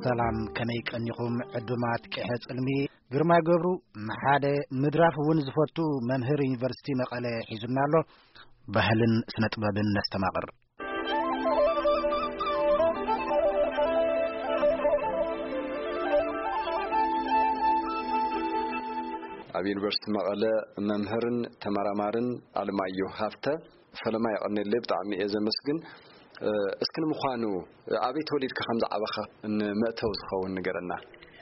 ሰላም፣ ከመይ ቀኒኹም ዕዱማት ቅሐ ጽልሚ? ግርማይ ገብሩ ንሓደ ምድራፍ እውን ዝፈቱ መምህር ዩኒቨርሲቲ መቐለ ሒዙና ኣሎ። ባህልን ስነ ጥበብን ነስተማቕር። ኣብ ዩኒቨርሲቲ መቐለ መምህርን ተመራማርን ኣለማየሁ ሃፍተ ፈለማ የቐንየለይ፣ ብጣዕሚ እየ ዘመስግን። እ፣ እስኪ ንምዃኑ ኣበይ ተወሊድካ ከም ዝዓበኻ ንመእተዊ ዝኸውን ንገረና።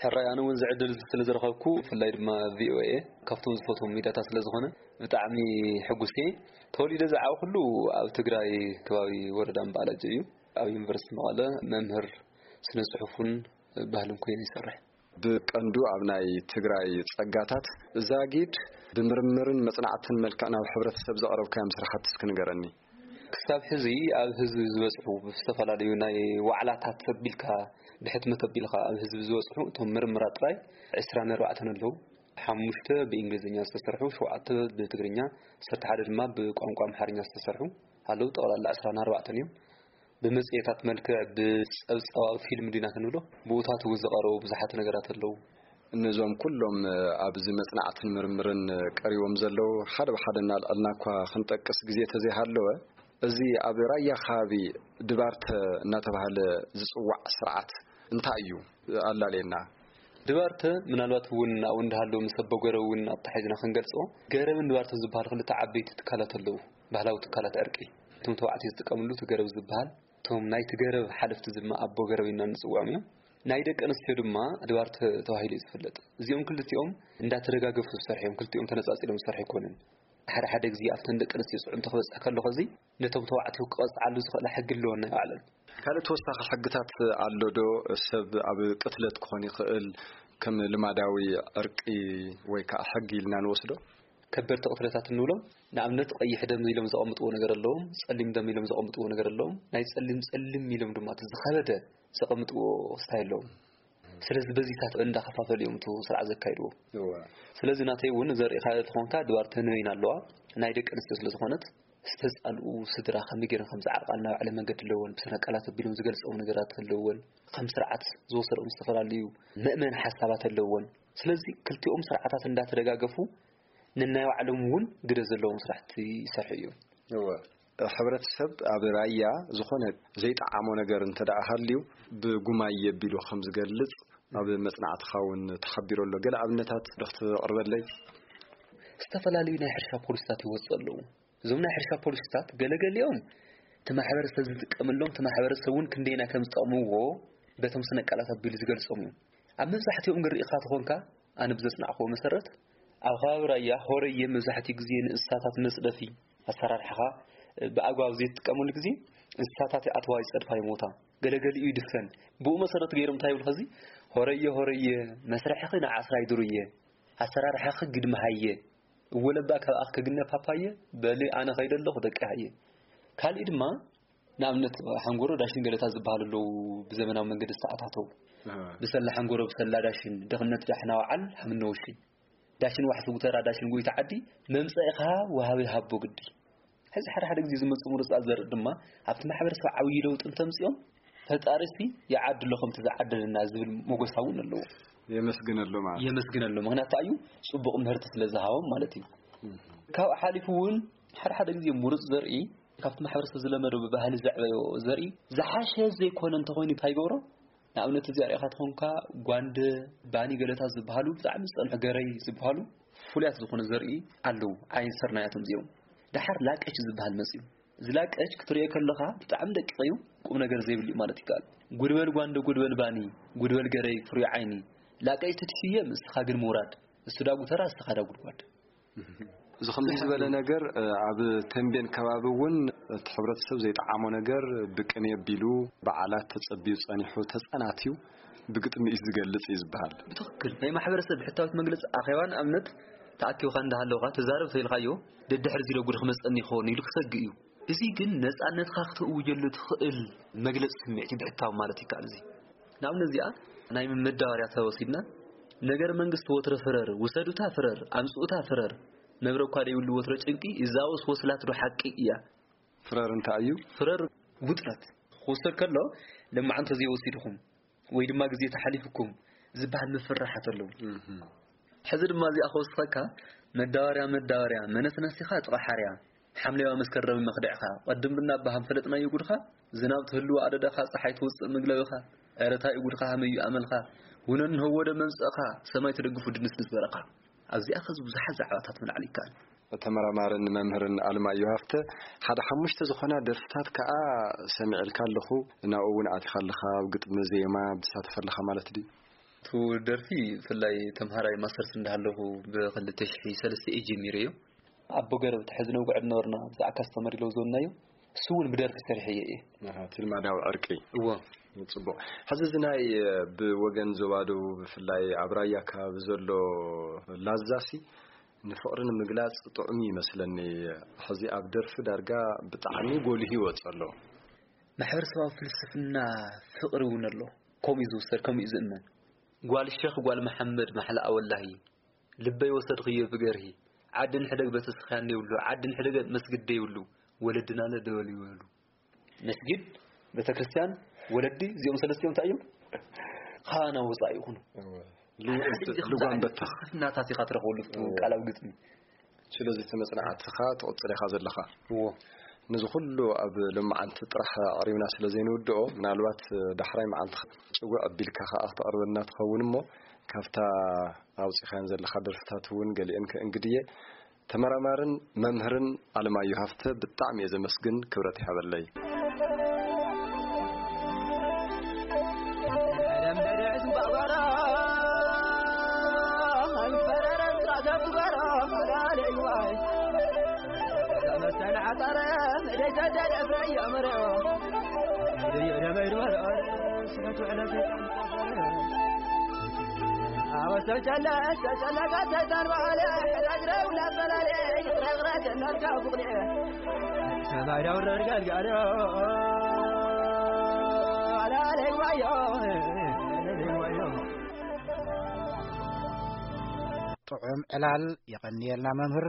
ሕራይ፣ ኣነ እውን ዝዕድል ስለ ዝረኸብኩ፣ ብፍላይ ድማ ቪ ኦ ኤ ካብቶም ዝፈትዎም ሚድያታት ስለ ዝኾነ ብጣዕሚ ሕጉስ እየ። ተወሊደ ዝዓበኹሉ ኣብ ትግራይ ከባቢ ወረዳ እምባላጀ እዩ። ኣብ ዩኒቨርሲቲ መቐለ መምህር ስነ ጽሑፍን ባህልን ኮይኑ ይሰርሕ። ብቀንዱ ኣብ ናይ ትግራይ ጸጋታት ዛጊድ ብምርምርን መጽናዕትን መልክዕ ናብ ሕብረተሰብ ዘቕረብካዮም ስራሕቲ እስኪ ንገረኒ። ክሳብ ሕዚ ኣብ ህዝቢ ዝበጽሑ ብዝተፈላለዩ ናይ ዋዕላታት ኣቢልካ ብሕትመት ኣቢልካ ኣብ ህዝቢ ዝበጽሑ እቶም ምርምራት ጥራይ ዕስራን ኣርባዕተን ኣለዉ። ሓሙሽተ ብእንግሊዝኛ ዝተሰርሑ፣ ሸውዓተ ብትግርኛ፣ ዓሰርተ ሓደ ድማ ብቋንቋ ኣምሓርኛ ዝተሰርሑ ኣለዉ። ጠቕላላ ዕስራን ኣርባዕተን እዮም። ብመጽሔታት መልክዕ፣ ብጸብጻባዊ ፊልም ዲና ክንብሎ፣ ብኡታት እውን ዝቐረቡ ብዙሓት ነገራት ኣለዉ። እነዞም ኩሎም ኣብዚ መጽናዕትን ምርምርን ቀሪቦም ዘለዉ ሓደ ብሓደ እናልዐልና እኳ ክንጠቅስ ግዜ ተዘይሃለወ፣ እዚ ኣብ ራያ ከባቢ ድባርተ እናተባህለ ዝጽዋዕ ስርዓት እንታይ እዩ? ኣላልየና። ድባርተ ምናልባት እውን ኣብኡ እንዳሃለወ ምስ ኣቦ ገረብ እውን ኣብታ ሒዝና ክንገልጾ፣ ገረብን ድባርተ ዝበሃል ክልተ ዓበይቲ ትካላት ኣለዉ፣ ባህላዊ ትካላት ዕርቂ። እቶም ተባዕትዮ ዝጥቀምሉ እቲ ገረብ ዝበሃል፣ እቶም ናይቲ ገረብ ሓለፍቲ ድማ ኣቦ ገረብ ኢና ንጽውዖም እዮም። ናይ ደቂ ኣንስትዮ ድማ ድባርተ ተባሂሉ እዩ ዝፍለጥ። እዚኦም ክልቲኦም እንዳተደጋገፉ ዝሰርሑ እዮም፣ ክልቲኦም ተነጻጺሎም ዝሰርሑ ኣይኮኑን። ሓደ ሓደ ግዜ ኣብተን ደቂ ኣንስትዮ ጽዕንቶ ክበጽሕ ከሎ ኸዚ ነቶም ተባዕትዮ ክቐጽዓሉ ዝኽእላ ሕጊ ኣለወን ናይ ባዕለን። ካልእ ተወሳኺ ሕግታት ኣሎ ዶ? ሰብ ኣብ ቅትለት ክኾን ይኽእል፣ ከም ልማዳዊ ዕርቂ ወይ ከዓ ሕጊ ኢልና ንወስዶ? ከበድቲ ቅትለታት እንብሎም፣ ንኣብነት ቀይሕ ደም ኢሎም ዘቐምጥዎ ነገር ኣለዎም፣ ጸሊም ደም ኢሎም ዘቐምጥዎ ነገር ኣለዎም። ናይ ጸሊም ጸሊም ኢሎም ድማ እቲ ዝኸበደ ዘቐምጥዎ ክስታይ ኣለዎም። ስለዚ በዚታት እንዳኸፋፈሉ እዮም እቲ ስርዓት ዘካይድዎ። እወ። ስለዚ ናተይ እውን ዘርእኻ ተኾንካ ድባር ተንበይን ኣለዋ። ናይ ደቂ ኣንስትዮ ስለ ዝኾነት ዝተጻልኡ ስድራ ከመይ ገይረን ከም ዝዓርቃ ናብ ባዕለ መንገዲ ኣለወን። ብስነ ቃላት ኣቢሎም ዝገልጸኦም ነገራት ኣለወን። ከም ስርዓት ዝወሰዶም ዝተፈላለዩ መእመን ሓሳባት ኣለወን። ስለዚ ክልቲኦም ስርዓታት እንዳተደጋገፉ ነናይ ባዕሎም እውን ግደ ዘለዎም ስራሕቲ ይሰርሑ እዮም። እወ። ሕብረተሰብ ኣብ ራያ ዝኾነ ዘይጠዓሞ ነገር እንተ ደኣ ሃልዩ ብጉማየ ኣቢሉ ከም ዝገልጽ ኣብ መጽናዕትኻ እውን ተሓቢሩ ኣሎ። ገለ ኣብነታት ዶ ክትቕርበለይ? ዝተፈላለዩ ናይ ሕርሻ ፖሊሲታት ይወጽኡ ኣለዉ። እዞም ናይ ሕርሻ ፖሊሲታት ገለገሊኦም እቲ ማሕበረሰብ ዝጥቀመሎም፣ እቲ ማሕበረሰብ እውን ክንደየናይ ከም ዝጠቕምዎ በቶም ስነ ቃላት ኣቢሉ ዝገልጾም እዮም። ኣብ መብዛሕትኦም ግን ርኢኻ ተኾንካ፣ ኣነ ብዘጽናዕክዎ መሰረት፣ ኣብ ከባቢ ራያ ሆረየ መብዛሕትኡ ግዜ ንእንስሳታት መጽደፊ ኣሰራርሓኻ ብኣግባብ ዘይትጥቀመሉ ግዜ እንስሳታት ይኣትዋ፣ ይጸድፋ፣ ይሞታ። ገለገሊኡ ይድፈን። ብኡ መሰረት ገይሮም እንታይ ይብሉ ኸዚ፣ "ሆረየ ሆረየ መስርሕኺ ንዓስራይ ዱርየ፣ ኣሰራርሓኺ ግድሚ ሃየ፣ እወ ለባ ካብ ኣኽ ክግነ ፓፓየ፣ በሊ ኣነ ኸይደ ኣለኹ ደቂ ሃየ." ካልእ ድማ ንኣብነት ሓንጎሮ ዳሽን ገለታት ዝበሃሉ ኣለዉ፣ ብዘመናዊ መንገዲ ዝተኣታተው። ኣሃ። ብሰላ ሓንጎሮ፣ ብሰላ ዳሽን፣ ድኽነት ዳሕና ወዓል ሃምነ ወሽን። ዳሽን ዋሕሲ ጉተራ፣ ዳሽን ጎይታ ዓዲ፣ መምጸኢኻ ወሃቢ ሃቦ ግዲ። ሕዚ ሓደ ሓደ ግዜ ዝመጹ ምሩጻት ዘርኢ ድማ ኣብቲ ማሕበረሰብ ዓብዪ ለውጢ እንተምጽኦም፣ ፈጣሪሲ ይዓድሎ ከምቲ ዝዓደለና ዝብል ሞገሳ እውን ኣለዎ። የመስግነሉ ማለት። የመስግነሉ። ምኽንያቱ እዩ ጽቡቕ ምህርቲ ስለ ዝሃቦም ማለት እዩ። እህ። ካብኡ ሓሊፉ እውን ሓደ ሓደ ግዜ ምሩጽ ዘርኢ ካብቲ ማሕበረሰብ ዝለመዶ ብባህሊ ዘዕበዮ ዘርኢ ዝሓሸ ዘይኮነ እንተኾይኑ እንታይ ይገብሮ? ንኣብነት እዚ ኣርእኻ ተኾንካ ጓንደ፣ ባኒ ገለታት ዝበሃሉ ብጣዕሚ ዝጸንሑ ገረይ ዝበሃሉ ፍሉያት ዝኾነ ዘርኢ ኣለዉ። ዓይን ስርናያቶም እዚኦም። ደሓር ላቀች ዝበሃል መጽዩ። እዚ ላቀች ክትርእዮ ከለኻ ብጣዕሚ ደቂቕ እዩ፣ ቁም ነገር ዘይብሉ እዩ ማለት ይከኣል። ጉድበል ጓንደ፣ ጉድበል ባኒ፣ ጉድበል ገረይ፣ ፍሩይ ዓይኒ። ላቀች ትድፍየ፣ እስኻ ግን ምውራድ። እሱ ዳ ጉተራ፣ እስኻ ዳ ጉድጓድ። እዚ ከምዚ ዝበለ ነገር፣ እ፣ ኣብ ተንቤን ከባቢ እውን እቲ ሕብረተሰብ ዘይጠዓሞ ነገር ብቅኔ ኣቢሉ በዓላት ተጸብዩ ጸኒሑ ተጸናትዩ ብግጥሚ እዩ ዝገልጽ እዩ ዝበሃል። ብትኽክል ናይ ማሕበረሰብ ብሕታዊት መግለጺ ኣኼባ ንኣብነት ተኣኪብካ እንዳሃለውካ ተዛረብ ተይልካዮ ደድሕሪ እዚ ዶ ጉድ ክመጸኒ ይኸውን ኢሉ ክሰግእ እዩ። እዚ ግን ነጻነትካ ክተእውጀሉ ትኽእል መግለጺ ስምዒት እዩ ብሕታዊ ማለት ይከኣል። እዚ ንኣብነት እዚኣ ናይ መዳበርያ ተወሲድና፣ ነገር መንግስቲ ወትረ ፍረር፣ ውሰዱታ ፍረር፣ ኣምጽኡታ ፍረር፣ መብረ እኳ ደይብሉ ወትረ ጭንቂ፣ ይዛወስ ወስላት ዶ ሓቂ እያ? ፍረር እንታይ እዩ? ፍረር ውጥረት ክውሰድ ከሎ፣ ለማዓንቲ ዘይወሲድኹም ወይ ድማ ግዜ ተሓሊፍኩም ዝበሃል ምፍርራሓት ኣለዉ። እህ። ሕዚ ድማ እዚኣ ከወስኸካ፣ መዳበርያ፣ መዳበርያ፣ መነስነሲኻ ጥቓ ሓርያ፣ ሓምለዋ መስከረም መኽደዕኻ፣ ቅድም ብና ኣባሃም ፈለጥናዮ ጉድኻ፣ ዝናብ ትህልዎ ኣደዳኻ፣ ፀሓይ ትውፅእ ምግለብኻ፣ ኧረ ታይ እዩ ጉድኻ፣ ሃመዩ ኣመልኻ፣ ውነን ንህወደ መምፀእኻ፣ ሰማይ ትደግፉ ድንስንስ በረኻ። ኣብዚኣ ኸዚ ብዙሓት ዛዕባታት ምልዓል ይከኣል። ተመራማርን መምህርን ኣለማዮ ሃፍተ፣ ሓደ ሓሙሽተ ዝኾና ደርፍታት ከኣ ሰሚዐልካ ኣለኹ፣ ናብኡ እውን ኣቲኻ ኣለኻ፣ ኣብ ግጥሚ ዜማ ብትሳተፍ ኣለኻ ማለት ድዩ? እቲ ደርፊ ብፍላይ ተምሃራይ ማስተርስ እንዳሃለኹ ብ ክልተ ሽሕን ሰለስተን እየ ጀሚረዮ። ኣቦ ገረብቲ ሕዚ ነውግዕ ዝነበርና ብዛዕባ ካስተመር ኢለው ዝወናዮ፣ እሱ እውን ብደርፊ ሰሪሐዮ እየ። ኣሃ፣ እቲ ልማዳዊ ዕርቂ። እዎ። ጽቡቕ። ሕዚ እዚ ናይ ብወገን ዞባ ደቡብ ብፍላይ ኣብ ራያ ከባቢ ዘሎ ላዛሲ ንፍቕሪ ንምግላጽ ጥዑም እዩ ይመስለኒ። ሕዚ ኣብ ደርፊ ዳርጋ ብጣዕሚ ጎሊሁ ይወጽእ ኣሎ። ማሕበረሰባዊ ፍልስፍና ፍቕሪ እውን ኣሎ። ከምኡ እዩ ዝውሰድ፣ ከምኡ እዩ ዝእመን። ጓል ሸኽ ጓል መሓመድ ማሕላ ኣወላሂ፣ ልበይ ወሰድኽዮ ብገርሂ፣ ዓዲ ንሕደግ ቤተክርስትያን የብሉ፣ ዓዲ ንሕደግ መስጊድ ደይብሉ፣ ወለድናለ ደበል ይበሉ። መስጊድ፣ ቤተክርስትያን፣ ወለዲ፣ እዚኦም ሰለስቲኦም እንታይ እዮም? ኻና ወፃኢ ይኹኑ። እወ። ልጓም በተኽ። ፍልስፍናታት ኢኻ ትረኽበሉ ኣብቲ እወ። ቃላዊ ግጥሚ። ስለዚ እቲ መጽናዕትኻ ትቕጽል ኢኻ ዘለኻ። እዎ። ነዚ ኩሉ ኣብ ሎማዓንቲ ጥራሕ ኣቕሪብና ስለ ዘይንውድኦ፣ ምናልባት ዳሕራይ መዓልቲ ጭውዕ ኣቢልካ ከኣ ክተቕርበልና ትኸውን እሞ፣ ካብታ ኣውጺኻየን ዘለኻ ደርፍታት እውን ገሊአን ከእንግድየ። ተመራማርን መምህርን ኣለማየሁ ሃፍተ ብጣዕሚ እየ ዘመስግን፣ ክብረት ይሃበለይ። ጥዑም ዕላል። የቐንየልና መምህር።